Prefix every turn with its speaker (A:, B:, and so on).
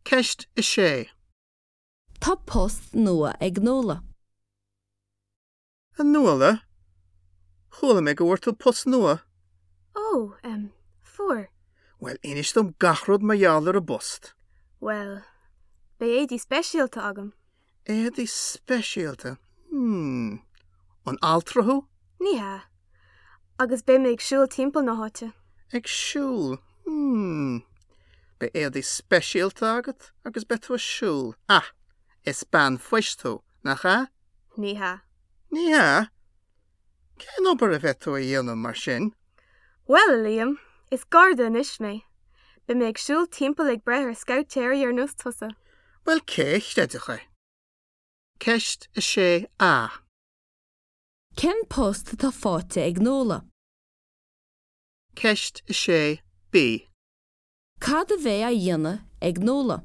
A: Ceist 6.
B: Tá post nua ag Nuala.
A: A Nuala, chuala mé go bhfuair tú post nua.
C: Ó, em, fuair.
A: Bhuel, inis dom gach rud mar gheall ar an bpost.
C: Bhuel, beidh éadaí speisialta agam.
A: Éadaí speisialta? Hmm. An altra thú?
C: Ní hea. Agus beidh mé ag siúl timpeall na háite.
A: Ag siúl? Hmm. Beidh éadaí speisialta agat agus beidh tú ag siúl. Ah! Is bean phoist thú, nach ea?
C: Ní hea.
A: Ní hea? Cén obair a bheidh tú a dhéanamh mar sin?
C: Bhuel, a Liam, is garda anois mé. Beidh mé ag siúl timpeall ag breith ar scabhtéirí ar nós tusa.
A: Bhuel, cé a chreidfeadh é? Ceist 6A.
B: Cén post atá faighte ag Nuala?
A: Ceist 6B.
B: Cad a bheidh á dhéanamh ag Nuala?